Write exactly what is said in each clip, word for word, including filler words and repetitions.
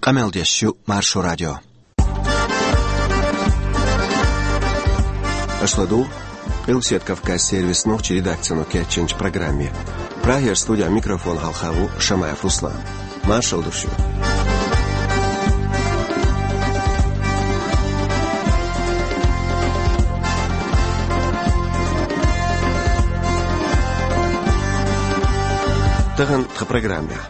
Къамел деш ю Маршо радио. Аша ладугӀу Къилбаседа Кавказан сервисан нохчийн редакцино кечйинчу программе. Прагера студехь микрофон хьалха ву Шамаев Руслан. Маршалла ду шуьга. Тахана тхан программехь.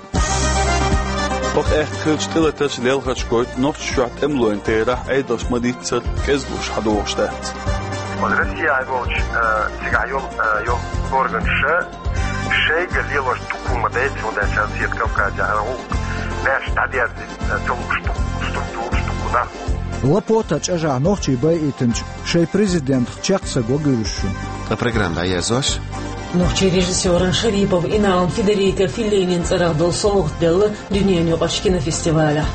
Оха аьхка хиллачу тӀелатарша лелхарш гойту, Нохчийчохь тӀемалойн терахь Ӏедалш ма-дийццара кӀезигалуш хьадогӀуш дац. Оцу Россехь волчу, э, цигахь йолу, э, йолу органаша шайга лелош дукха хӀума дайта, хӀунда аьлча Россия Кавказехь гӀуллакх беш дӀадерзийта, э, ца лууш дукха структураш, дукха нах бу. Лапотан чӀожахь нохчий байийтинчу шайн президентах чекх ца го гуьржуш шу. Ткъа программа дӀаерзош. Нохчийн режиссеран Шарипов Иналан Федерика Феллинин цӀарах долу совгӀат делла дуьненаюкъарчу кинофестивалехь.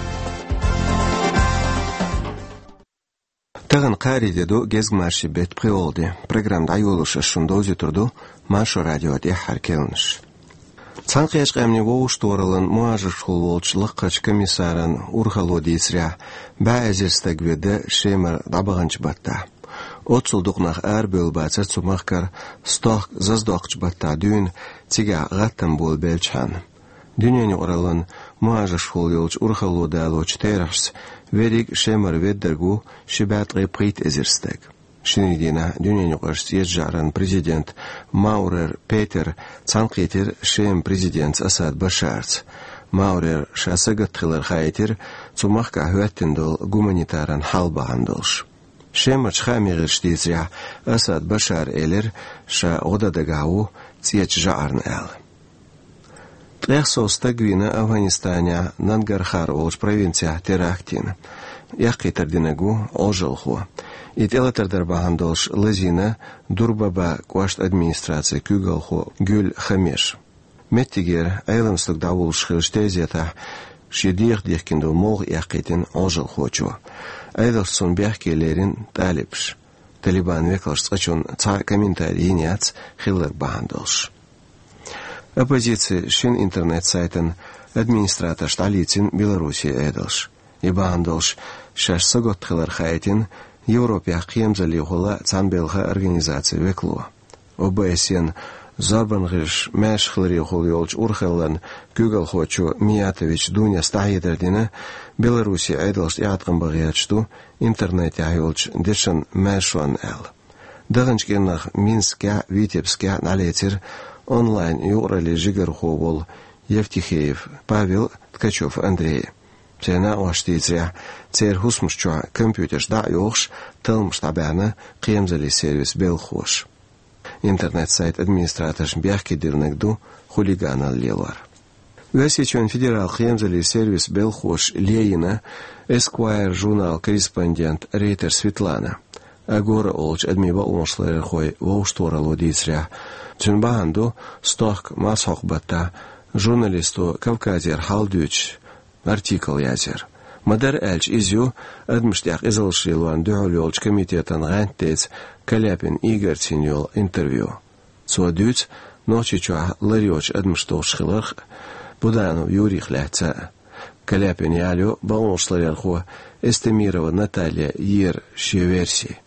Тахана кхаарин де ду, гезгмашин беттан пхоьалгӀа де. Программа дӀайолош ас шуна довзуьйтур ду Маршо радион тӀаьххьара керланаш. Цхьаьнакхеттачу Къаьмнийн Вовшахтохараллин мухӀажаршхула волчу лакхарчу комиссаран урхалло дийцарехь, бӀе эзар стаг веда Шемара дӀабаханчу баттахь. Оццул дукха нах арабевлла бацара цу махкара, стохка заздоккхучу баттахь дуьйна цигахь гӀаттам болабелчхьана. Дуьненаюкъараллин мухӀажаршхула йолчу урхалло далочу терахьашца, верриг Шемара веддарг ву ши бӀе ткъе пхийтта эзар стаг. Шинарин дийнахь дуьненаюкъарчу цӀечу жӀаран президент Маурер Петер цхьаьнакхийтира Шеман президентца Асад Башарца. Маурера ша сагатта хилар хаийтира цу махкахь хӀоьттина долу гуманитаран хьал бахьана долуш. Шемарчу хаамийн гӀирсаша дийцарехь, Асад Башара элира, ша гӀо дан дагахь ву цӀечу жӀарна аьлла. Ткъех сов стаг вийна Афганистанехь Нангархар олучу провинцехь теракт йина. Эккхийтар динарг ву Ӏожалхо. И тӀелатар дар бахьана долуш лазийна Дурбаба кӀоштан администрацин куьйгалхо Гуьл Хамеш. Меттигера Ӏелам стаг дӀавуллуш хиллачу тезетахь шен дегӀах дихкина долу молха эккхийтина Ӏожалхочо. Ӏедалшца цунна бехке лерина талибаша. Талибан векалша цкъачунна цхьа а комментарий йина яц хилларг бахьана долуш. Оппозицин шина интернет-сайтан администраторш дӀалийцина Беларусин Ӏедалша. И бахьана долуш шаьш сагатта хилар хаийтина Европехь кхерамзаллехула цхьаьна белхан организацин векало. О Б С Н зорбан гӀирсаша маьрша хиларехула йолчу урхаллин куьйгалхочо Миятович Дунес дӀахьедар дина, Беларусин Ӏедалша тӀеӀаткъам бан гӀерташ ду интернетехь йолчу дешан маьршонна аьлла. Даханчу кӀирнах Минскехь а, Витебскехь а дӀалецира онлайн-юкъараллин жигархо волу Евтихеев Павел, Ткачев Андрей. Церан накъосташа дийцарехь, церан хӀусамаш чохь компьютерш дӀа а йохуш, талламаш дӀабаьхьна кхерамзаллин сервисан белхахоша. Интернет-сайт администраторшна бехке диллинарг ду хулиганалла лелор. Оьрсийчоьнан федералан кхерамзаллин сервисан белхахоша лайина Esquire журналан корреспондент Рейтер Светлана. Агора олучу адамийн бакъонашларъярхойн вовшахтохаралло дийцарехь, цуьнан бахьана ду стохка мазхьокху баттахь журналисто Кавказера хьал дуьйцуш артикл язъяр. Ма-дарра аьлча, иза ю адамашна тӀехь къизаллаш лелорна дуьхьал йолчу комитетан гӀантдеца Каляпин Игорца йина йолу интервью. Цо дуьйцу Нохчийчохь лар йоцуш адамаш долуш хиларх а, Буданов Юрийх лаьцна а. Каляпина ялайо бакъонашларъярхо Эстемирова Наталья йийр шен верси.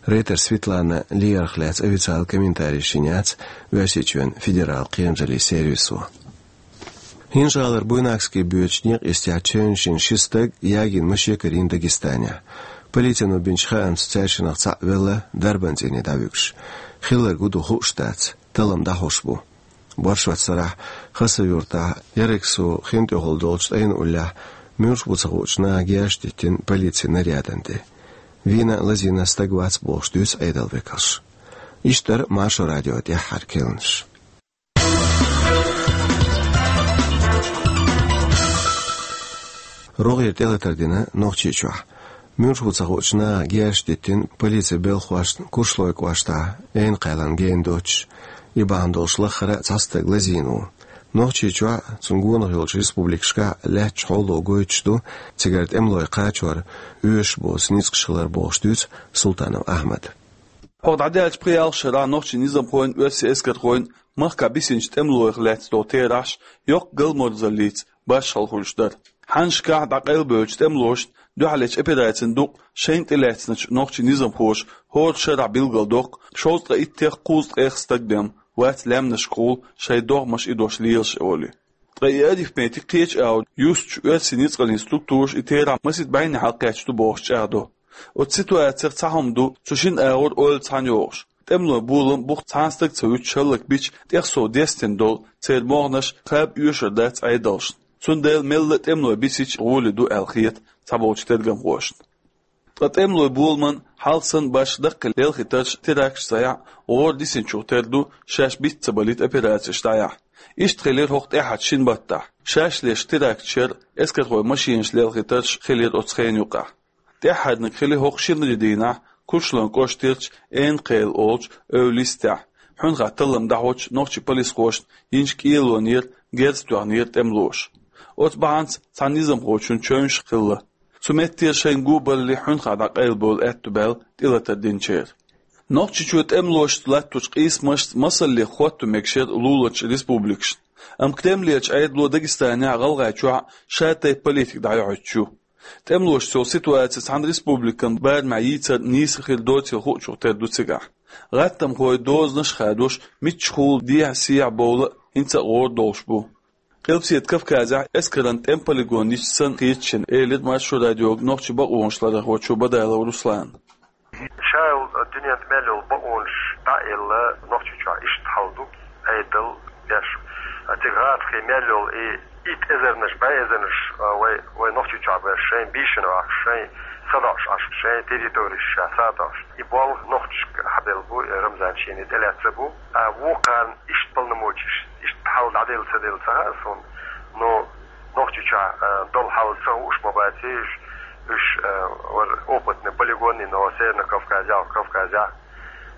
Рейтер Светланан ларах лаьцна официалан комментарийш йина яц Оьрсийчоьнан федералан кхерамзаллин сервисо. ХӀинжа-ГӀалара Буйнакски боьдучу некъа йистехь чевнаш йина ши стаг ягийна машен карийна Дагестанехь. Полицино бинчу хаамца цаьршиннах цхьаъ велла дарбан цӀийне дӀавуьгуш. Хилларг хӀун ду хууш дац, таллам дӀахьош бу. Боршоццарахь Хасавюртахь Ярексу хин тӀехула долчу ткъайна уллехь муьлш бу ца хуучу наха герз диттина полицин нарядана тӀе. Вийна а, лазийна а стаг вац бохуш дуьйцу Ӏедалан векалша. Иштта дара Маршо радион тӀаьххьара керланаш. РогӀера тӀелатар дина Нохчийчохь. Муьлш бу ца хуучу наха герз диттина полицин белхахошна Куршлойн кӀоштахь Ӏена кхаьллина гена доцуш. И бахьана долуш лаххара а цхьа стаг лазийна ву. Нохчийчохь а, цунна гонах йолчу республикашкахь а лаьтташ хьоло гойтуш ду цигара тӀемалой кхачор оьшуш боцу ницкъаш хилар бохуш дуьйцу Султанов Ахьмада. ХӀокху дӀадаьллачу пхи-ялх шарахь нохчийн низамхойн, оьрсийн эскархойн махкахь бисинчу тӀемалойх лаьцна долу терахьаш йоккха галморзаллица башхалла хуьлуш дара. Хьаннашкахь дӀакъайлабевллачу тӀемалошна дуьхьалечу операцина дукъ шайна тӀелаьцначу нохчийн низамхоша хӀора шарахь билгалдоккху шовзткъе иттех кхузткъех стаг бен вац лаьмнашкахула шайн догӀмаш идош лелаш олий. Ткъа и арифметик кхечу агӀор юстучу оьрсийн ницкъаллин структураша и терахь масийтта бӀеннахьа кхаьчна ду бохуш чӀагӀдо. Оцу ситуацех цхьа хӀума ду, цу шина агӀор ойла цхьаьна йогӀуш. ТӀемалойн болам бух цхьана стаг ца вуьтуш хӀаллакбича, тӀех сов дестина долу церан могӀанаш кхаба оьшур дац Ӏедалшна. Цундела мелла а тӀемалой бисича гӀоли ду аьлла хета цхьаболчу тергамхошна. Ткъа тӀемалойн боламан хьалха санна башха даккхий лелхийтарш, теракташ ца яхь, гӀора дисинчух тера ду шаьш биц ца балийта операцеш дӀаяхь. Иштта хилира хӀокху тӀаьххьарчу шина баттахь. Шаьш леш теракташ яр, эскархойн машинаш лелхийтарш хилира оцу хенан юкъахь. ТӀаьххьарниг хили хӀокху шинарин дийнахь Курчалойн кӀоштарчу Эйнакхел олучу эвла йистехь, хьуьнхахь таллам дӀахьочу нохчийн полисхошна йинчу кӀелонера герз тоьхнера тӀемалоша. Оцу бахьанца цхьана низамхочун чевнаш хилла. Цу меттера шайна го балале хьуьнхахь дӀакъайлабевлла аьтто баьлла тӀелатар динчеран. Нохчийчоь тӀемалошца латточу къийсамашца масаллех хӀотто мегаш яра луларчу республикашна. Амма Кремлерчу Ӏедало Дагестанехь а, ГӀалгӀайчохь а шатайпа политика дӀайохьуьйтуш ю. ТӀемалошца йолу ситуаци цхьана республикан барамехь йийцар нийса хир доцийла хуучух тера ду цигахь. ГӀаттамхой дозанаш а хадош, миччахула дехьа-сехьа бовла а хӀинца а гӀора долуш бу. Къилбаседа Кавказехь эскаран тӀеман полигон йисча санна хеташ ю, элира Маршо радиога нохчийн бакъонаш ларархочо Бадалов Руслана. Ша йолу дуьненна мел йолу бакъонаш дӀа а елла, Нохчийчохь иштта хьал ду, Ӏедал беш. А цига гӀазкхийн мел йолу и итт эзарнаш, бӀе эзарнаш, а, вай, вай Нохчийчохь беш, шайн бийшина Ӏаш, шайн садоӀуш Ӏаш, шайн территореш ша садоӀуш. И болх нохчашка хьабелла бу, и Рамзан шена тӀелаьцна бу. А вукхарна иштта полномочеш, иштта хьал дӀаделла ца делла ца хаьа суна, но Нохчийчохь, а, долу хьал ца хууш ма бац уьш, уьш, а, вара опытный полигонный, но Северный Кавказехь, Кавказехь,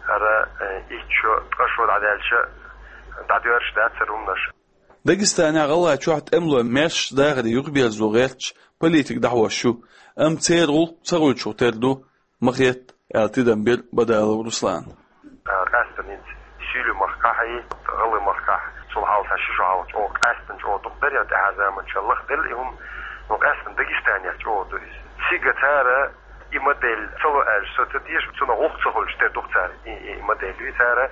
хӀара, а, итт шо, ткъа шо дӀадаьлча, дӀадоьрзуш дацара хӀуманаш. Дагестанехь а, ГӀалгӀайчохь а тӀемалой маьршачу дахаре юхаберзо гӀерташ политика дӀахьош ю, амма церан гӀуллакх ца хуьлучух тера ду, ма хета, аьлла тидам бира Бадалов Руслана. А, къаьстина хӀинца Сирин махкахь а, ГӀалгӀайн махкахь а, цул хьалха ши шо хьалха чӀогӀа къаьстина чӀогӀа дукха дара, я тӀаьхьа заманчохь лахделла и хӀума, но къаьстина Дагестанехь чӀогӀа ду иза. Цига цара и модель ца ло аьлча, со ца теша, цунах гӀуллакх ца хуьлуш тера ду-кх цара и, и модель. И цара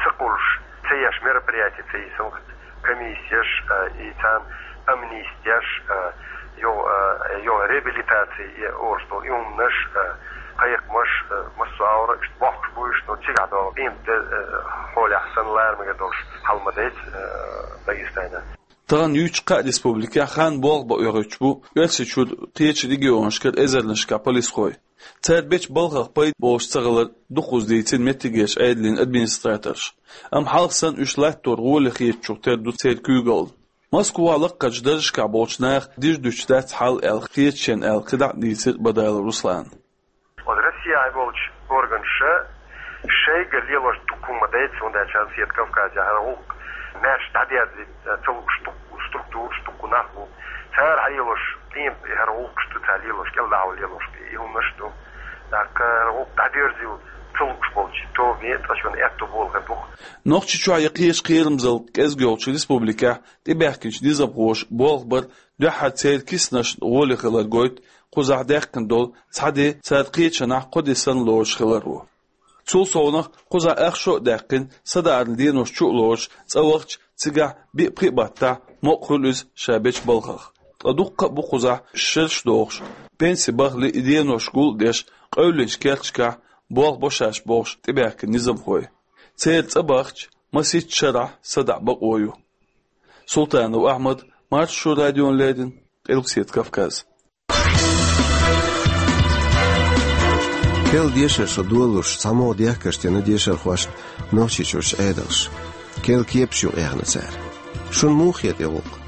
ца кхуллуш, ца еш мероприяти ца йисина комиссеш, а, и царна амнистеш, а, йо, а, йо реабилитаци, и орстал, и хӀуманаш, а, кхайкхамаш, а, массо а агӀор иштта бохкуш бу уьш, но цигахь долу къематде, а, хьолехь санна лара мегар долуш хьал ма дайца, а, Дагестана. Тахана юьйцучу кхаа республикехь хан болх бан оьхуьйтуш бу Оьрсийчуьра кхечу регионашкара эзарнашкахь полисхой. Цара бечу балхах пайда болуш ца хилар дукхаза дийцина меттигерчу Ӏедалан администраторша. Амма хьалха санна уьш латтор гӀоле хетачух тера ду церан куьйгалла. Москвахь лаккхарчу даржашкахь болчу наха дижа дуьтуш дац хьал аьлла хета шена аьлла кхидӀа а дийцира Бадалов Руслана. Оцу Россехь болчу органаша шайгара лелош дукха хӀума дайца, хӀунда аьлча Северный Кавказехь хӀара гӀуллакх маьрша дӀадерзийта ца лууш дукха структураш, дукха нах бу. Цара хьалелош къемат, хӀара гӀуллакхаш ду цара лелош, кӀелдахьа лелош бен и хӀуманаш ду. ТӀаккха хӀара гӀуллакх дӀадерзийла ца лууш болчу тоге ткъа шуна аьтто болу хир бу-кх. Нохчийчохь я кхечу кхерамзалла кӀезиг йолчу республикехь тӀебаьхкинчу низамхоша болх бар дуьххьара церан киснашна гӀоле хилар гойту кхузахь даьккхина долу цхьа де цара кхечанхьа кхо де санна лоруш хиларо. Цул совнаха, кхузахь ах шо а даьккхина, садаарна денош чу а лоруш, цӀа вахча, цигахь биъ-пхиъ баттахь мукъа хуьлу иза ша бечу балхах. Ткъа дуккха а бу кхузахь шераш дохуш, пенси бахале и денош гул а деш, къевллинчу керташкахь болх бо шаьш бохуш тӀебаьхкина низамхой. Церан цӀа бахча, масийтта шарахь садаӀа бакъо ю. Султанов Ахьмад, Маршо радиона леррина, Къилбаседа Кавказ. Кхел дешар шо долалуш, цхьамогӀа дехкаш дина дешархошна Нохчийчуьрчу Ӏедалша. Кхел кепаш юкъа яьхна цара. Шуна муха хета и гӀуллакх?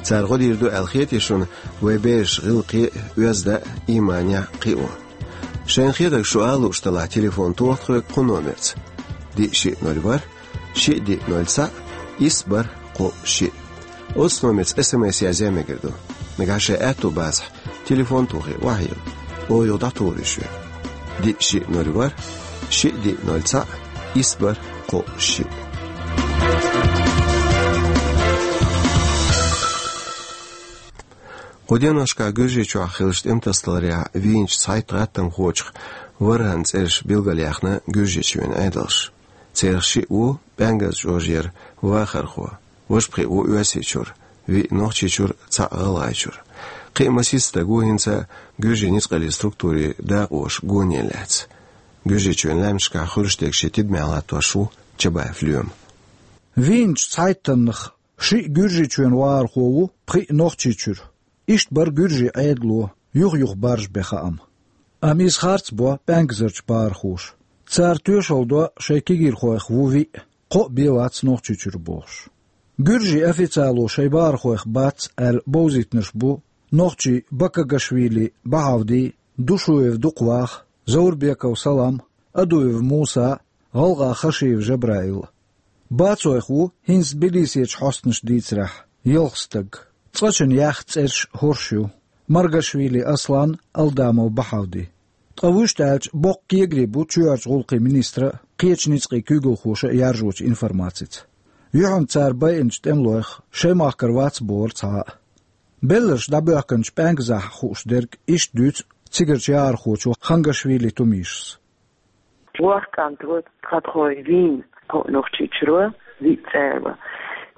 Цара гӀо дийр ду аьлла хетий шуна вайн бераш гӀиллакхе а, оьзда а, ийманехь а кхио? Шайна хетарг шу ала лууш делахь, телефон тоха тхоьга кху номерца: диъ шиъ ноль ворхӀ, шиъ диъ ноль цхьаъ, исс бархӀ кхоъ шиъ. Оцу номерца СМС язъян мегар ду. Нагахь шайн аьтто бацахь, телефон тохий, охьайилла. Оха юха дӀатухур ю шуьга. Диъ шиъ ноль ворхӀ, шиъ диъ ноль цхьаъ, исс бархӀ кхоъ шиъ. Кху деношкахь Гуьржийчохь хиллачу тӀемтасадаларехь вийначу цхьайтта гӀаттамхочух ворхӀанна цӀераш билгалъяьхна Гуьржийчоьнан Ӏедалша. Царах шиъ ву ПӀаьнгаза чӀожера вахархо, важа пхиъ ву Оьрсийчуьра, виъ Нохчийчуьра, цхьаъ ГӀалгӀайчуьра. Кхин а масийтта стаг ву хӀинца гуьржийн ницкъаллин структурийн дакъоша гоне лаьцна. Гуьржийчоьнан лаьмнашкахь хуьлуш дерг шен тидамехь латтош ву Чабаев Лоьма. Вийначу цхьайттаннах шиъ Гуьржийчоьнан вахархо ву, пхиъ Нохчийчуьра. Иштта бара гуьржийн Ӏедало юха-юха баржабен хаам. Амма иза харц бо пӀаьнгазарчу бахархоша. Цара тоьшалла до шайн кегийрхойх ву виъ, кхоъ бен вац Нохчийчуьра бохуш. Гуьржийн официально шайн бахархойх бац аьлла бовзийтинарш бу нохчий Бакагашвили Бахьавди, Душуев Дукхваха, Заурбеков Салам, Адуев Муса, ГӀалгӀа Хашиев Жабраил. Бацойх ву, хӀинца Тбилисерчу хьостанаша дийцарехь, ялх стаг. Цкъачунна яьхна цӀераш хӀорш ю: Маргашвили Аслан, Алдамов Бахьавди. Ткъа вуьшта аьлча, боккха кегари бу чоьхьарчу гӀуллакхийн министра а, кхечу ницкъийн куьйгалхоша а яржочу информацица. Юьхьанца цара байинчу тӀемалойх шайн махкара вац бохура цхьа а. Белларш дӀабоьхкинчу пӀаьнгазахь хууш дерг иштта дуьйцу цигарчу яхархочо Хангашвили Тумишас. ВорхӀ кӀант ву, тхан тхо вийна кхоъ Нохчийчуьра, виъ цӀера.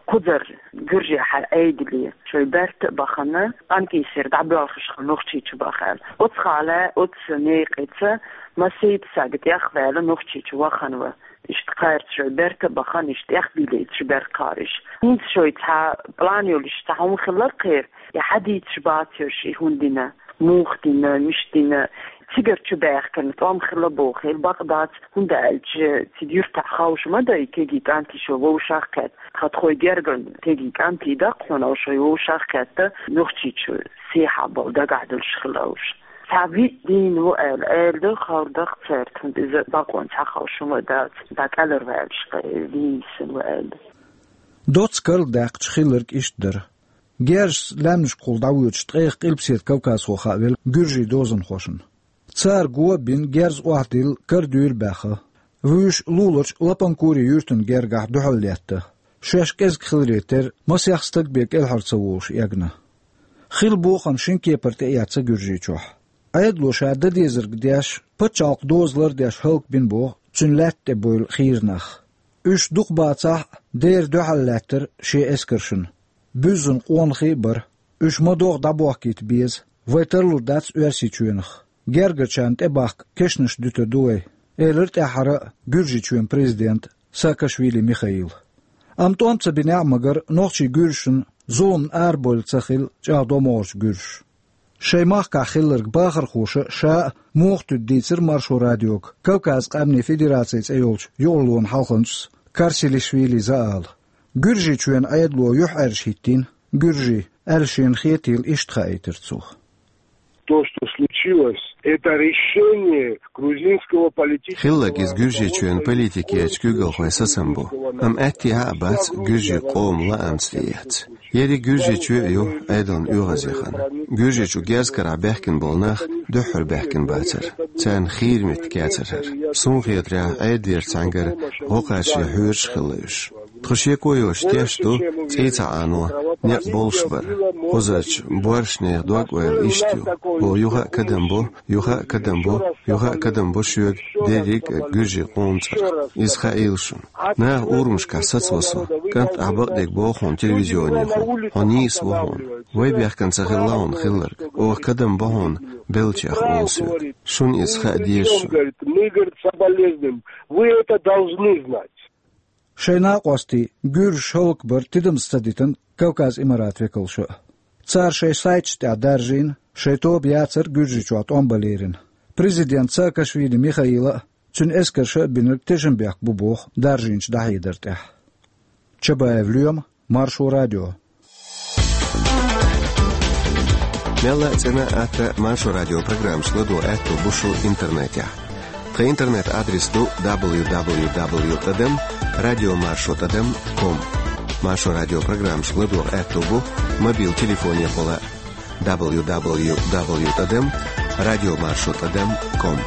Кхузара гуьржехь Ӏедале шайн берта а бахана, къамкъийсера дӀабоьлхуш хилла Нохчийчу баха аьлла. Оцу хьале, оцу некъаца масийтта стаг тӀех а ваьлла Нохчийчу вахана ву. Иштта кхаьрца шайн берта а бахана, иштта тӀех а бийлийташ бара кхариш. ХӀинца шайн цхьа план йолуш цхьа хӀума хилла кхеран, и хьадийцаш бацарш, и хӀун дина, муха дина, мича дина, цигара чу баьхкина тӀом хилла бохийла, бакъ дац, хӀунда аьлча цига юьртахь ховш ма дай, кегий кӀант шайн вовшах а кхетта. Тхан тхайн герган кегий кӀант ду-кх хьуна, шайн вовшах а кхетта, Нохчийчу сехьа болу дагахь долуш хилла уьш. Цхьа виъ дийна ву аьлла, аьлла ду, ховр ду-кх цаьрга, хӀунда иза бакъонца хьаховш хӀума дац, дӀакъаьлларваьллаш вийна ву аьлла. Доцца карладаьккхича хилларг иштта дара. Герзашца лаьмнашкахула дӀавоьдуш ткъех къилбаседа кавказхо хаавелла гуьржийн дозанхошна. Цара го а бина, герз охьадилла, кара дуьйра баьхна. Вуьйш луларчу Лапанкури юьртан гергахь дуьхьал летта. Шаьш кӀезиг хиларе терра, масех стаг бен кӀелхьара ца волуш эгна. Хилла бохам шина кепара тӀеэцна Гуьржийчохь. Ӏедало ша дан дезарг деш, пачхьалкхан доза лардеш хӀаллакбина боху цуьнан лаьтта тӀе бевлла хийра нах. Уьш дукха бацахь а, дера дуьхьал лаьттара шен эскаршна. Буьззина къонахий а бара. Уьш ма-доггӀа дӀабохкийта беза, вай тарлур дац Оьрсийчоьнах. Гергарчарна тӀебахка кешнаш дуьтур ду вай, элира тӀаьххьара а Гуьржийчоьнан президента Саакашвили Михаила. Амма тӀом ца бинехь а, магар нохчийн гуьржашна зуламна арабевлла ца хилла чӀагӀдо могӀарчу гуьржаша. Шайн махкахь хилларг бахархоша ша а, муха туьду дийцира Маршо радиога Кавказан къаьмнийн федераци цӀе йолчу юкъарлонан хьалханчас Карсилишвили Заала. Гуьржийчоьнан Ӏедало юьхьӀаьржа хӀиттийна гуьржийн, аьлла шена хетийла иштта хаийтира цо. То, что случилось, это решение грузинского политического... Хилларг иза Гуьржийчоьнан политикерчу куьйгалхойн сацам бу, амма аьттехьа а бац гуьржийн къоман лаамца тӀеэцна. Ерриг Гуьржийчоь а ю Ӏедална оьгӀазъяхана. Гуьржийчу герз карахь баьхкина болу нах дуьххьара баьхкина бацара. Царна хийра меттиг яцара хӀара. Суна хетарехь, Ӏедалера цхьаьнгара гӀо кхачаре хьоьжуш хилла уьш. Тхо шеко йоцуш теш ду, цӀий ца Ӏано некъ болуш бара. Кхузарчу боршнехан дог-ойла иштта ю: бо юха а кадам бо, юха а кадам бо, юха а кадам бо шоьга дерриг а гуьржийн къоман цӀарах. Иза хаийла шуна. Наха урамашкахь сацаво со: «КӀант, ахь бакъдерг боху хьуна телевизионехула, хьо нийса ву хьуна. Вай бехкан ца хилла хьуна хилларг. Оха кадам бо хьуна беллачех», — олу соьга. Шуна иза хаа деза шуна. Вы это должны знать. Шайн накъостий гуьржаш хӀаллакбар тидамца ца дитина Кавказ Имарат векалша а. Цара шайн сайташ тӀехь даржийна, шайн тоба яцар Гуьржийчохь тӀом бан лерина. Президент Саакашвили Михаила а, цуьнан эскарша а бинарг тешнабехк бу боху даржийначу дӀахьедар тӀехь. Чабаев Лоьма, Маршо радио. Мелла а цӀена а, атта а Маршо радио программаш ладогӀа аьтто бу шун интернетехь. Тхан интернет-адрес ду: дабл ю дабл ю дабл ю тӀадам радио маршо тӀадам ком. Маршо радио программаш ладогӀа аьтто бу мобил телефонехула: дабл ю дабл ю дабл ю тӀадам радио маршо тӀадам ком.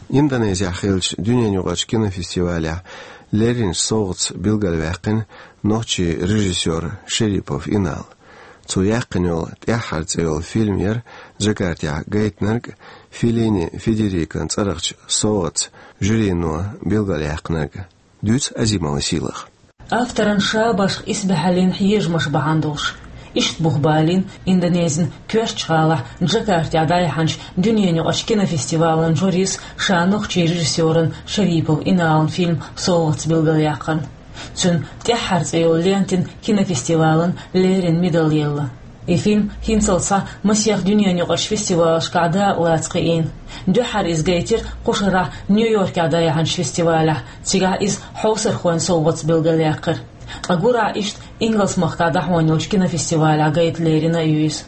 Индонезехь хиллачу дуьненаюкъарчу кинофестивалехь лерринчу совгӀатца билгалваьккхина нохчийн режиссёр Шерипов Инал. Цо яьккхина йолу «ТӀаьххьара» цӀе йолу фильм яра Джакартехь гайтинарг а, Феллини Федерикон цӀарахчу совгӀатца жюрино билгалъяьккхинарг а. Дуьйцу Азимова Сийлаха. Авторан ша башха исбаьхьаллин хьежамаш бахьана долуш. Иштта бух балийна Индонезин коьртачу гӀалахь Джакартехь дӀаяьхьначу дуьненаюкъарчу кинофестивалан жюрис ша нохчийн режиссёран Шерипов Иналан фильм совгӀатца билгалъяьккхина. Цуьнан «ТӀаьххьара» цӀе йолу лентина кинофестивалан леррина медал елла. И фильм хӀинцалц схьа масех дуьненаюкъарчу фестивалашкахь дакъалаца кхиийна. Дуьххьара иза гайтира кху шарахь Нью-Йоркехь дӀаяьхьначу фестивалехь, цигахь иза хьовсархойн совгӀатца билгалъяьккхира. Ткъа гурахь иштта Ингалс-махкахь дӀахьона йолчу кинофестивалехь гайта лерина а ю иза.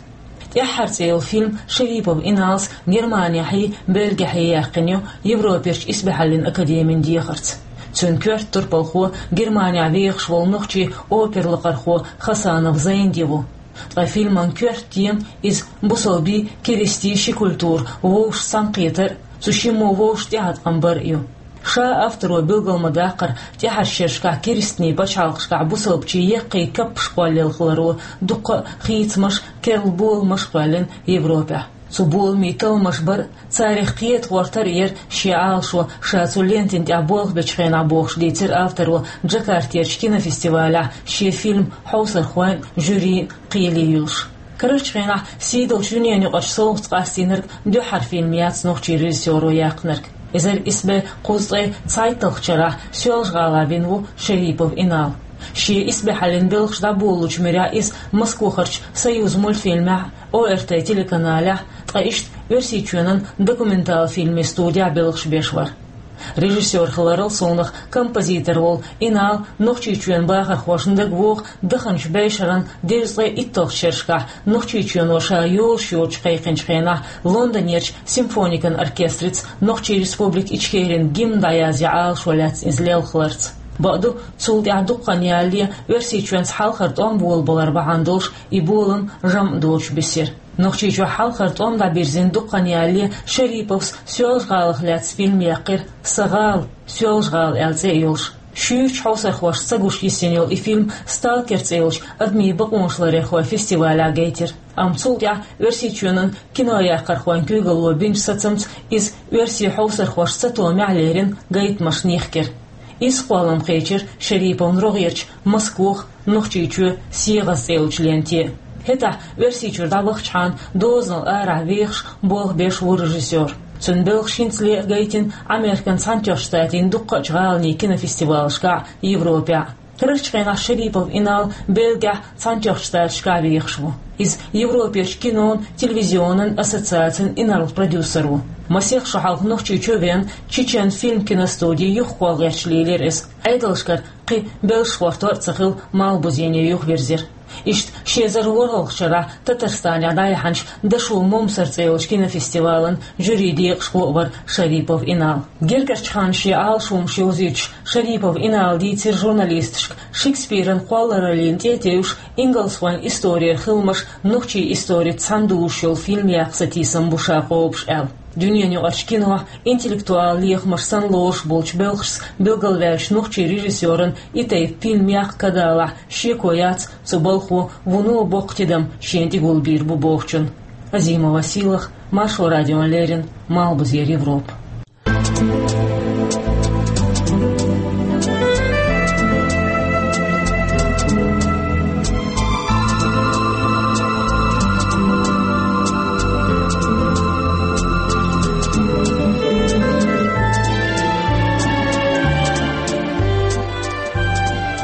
«ТӀаьххьара» цӀе йолу фильм Шерипов Иналс Германехьий, Бельгехьий яьккхина ю Европерчу исбаьхьаллин академин дехарца. Цуьнан коьрта турпалхо Германехь вехаш волу нохчийн опера лакхархо Хасанов Зайнди ву. Ткъа фильман коьрта тема иза бусалбийн, керистийн ши культура вовшашца цхьаьнакхетар а, цу шиммо вовшашна тӀеӀаткъам бар а ю. Ша авторо билгал ма-даккхара, тӀаьхьарчу шерашкахь керстанийн пачхьалкхашкахь бусалбачийн яккхий каппаш кхоллаелла хиларо дуккха а хийцамаш а, керла боламаш а кхоьллина Европехь. Цу боламийн талламаш бар а, царах кхета гӀортар а яра шен Ӏалашо, ша цу лентина тӀехь болх бечу хенахь, бохуш дийцира авторо Джакартерчу кинофестивалехь шен фильм хьовсархойн а, жюрин а кхеле юьллуш. Карарчу хенахь сийдолчу дуьненаюкъарчу совгӀатца къастийнарг дуьххьара фильм яц нохчийн режиссёро яьккхинарг. Эзар исс бӀе кхузткъе цхьайтталгӀачу шарахь Соьлжа-ГӀалахь вина ву Шерипов Инал. Шен исбаьхьаллин белхаш дӀаболалучу муьрехь иза Москвахарчу «Союзмультфильмехь», О Р Т телеканалехь, ткъа иштта Оьрсийчоьнан документал фильмийн студехь белхаш беш вара. Режиссёр хиларал совнаха композитор волу Инал Нохчийчоьнан бахархошна дагавогӀу даханчу бӀешеран дезткъе итталгӀачу шерашкахь Нохчийчоьно ша йолуш йоцуш кхайкхинчу хенахь Лондонерчу симфоникан оркестрица Нохчийн Республика Ичкерин гимн дӀаязъян Ӏалашо лаьцна иза лелхаларца. Бакъду, цул тӀаьхьа дуккха хан ялале Оьрсийчоьнца хьалхара тӀом болабалар бахьана долуш и болам жамӀ доцуш бисира. Нохчийчохь хьалхара тӀом дӀабирзина дуккха хан ялале Шериповс Соьлжа-ГӀалах лаьцна фильм яьккхира, «Сан гӀала», «Соьлжа-ГӀала» аьлла цӀе а йолуш. Шуьйрачу хьовсархошца ца гуш йисина йолу и фильм «Сталкер» цӀе йолчу адамийн бакъонаш ларъярхойн фестивалехь гайтира. Амма цул тӀаьхьа Оьрсийчоьнан кинояккхархойн куьйгалло бинчу сацамца иза оьрсийн хьовсархошна сатомехь лерина гайтамашна йихкира. Иза кхоллам кхечира Шериповн рогӀерчу «Москох», «Нохчийчоь», «СегӀаза» цӀе йолчу ленте. ХӀетахь Оьрсийчуьра дӀавахчахьана дозанал арахь вехаш, болх беш ву режиссёр. Цуьнан белхаш хӀинцале а гайтина Американ Цхьаьнатоьхначу Штатийн дуккхачу гӀаланийн кинофестивалашкахь, Европехь. Карарчу хенахь Шерипов Инал Бельгехь, Цхьаьнатоьхначу Штаташкахь вехаш ву. Иза Европерчу кинон, телевизионан ассоциацин инарла продюсер ву. Масех шо хьалха Нохчийчу веана, Чечен фильм киностуди юхакхолла гӀерташ лелийра иза. Ӏедалшкара кхин белшаш гӀортор а ца хилла, Малхбузене юхавирзира. Иштта ши эзар ворхӀалгӀачу шарахь Татарстанехь дӀаяьхьначу «Дошув Момсар» цӀе йолчу кинофестивалан жюрин декъашхо а вара Шерипов Инал. Гергарчу ханна шен Ӏалашонаш йовзуьйтуш, Шерипов Инала дийцира журналисташка, Шекспиран кхоллараллина тӀе а тевжаш, ингалсхойн исторера хиламаш нохчийн историца цхьаьна дузуш йолу фильм яккха сатийсам бу ша кхобуш аьлла. Дуьненаюкъарчу кинохь интеллектуал лехамаш санна лоруш болчу белхашца билгалваьллачу нохчийн режиссёран и тайпа фильм яккха кадалахь шеко яц цу балхо вуно боккха тидам шена тӀегулбийр бу бохучун. Азимова Сийлаха, Маршо радиона леррина, Малхбузера Европа.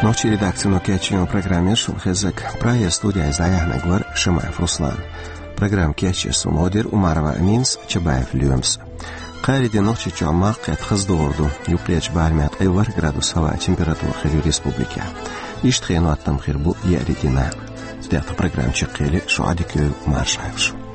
Нохчийн редакцино кечйина программа шуна хезнарг. Прагера студехь иза дӀаяьхьнарг вара Шамаев Руслан. Программа кечъеш цунах дира Умарова Аминас, Чабаев Лоьмас. Кхаарин дийнахь Нохчийчохь малх кхетта хаза догӀур ду. Юккъерчу барамехь ткъе ворхӀ градус хӀаваан температура хир ю республикехь. Иштта хенан хӀоттам хир бу еарин дийнахь. Цу тӀехь тхан программа чекхъели, шун Ӏадика йойла, марша Ӏойла шу.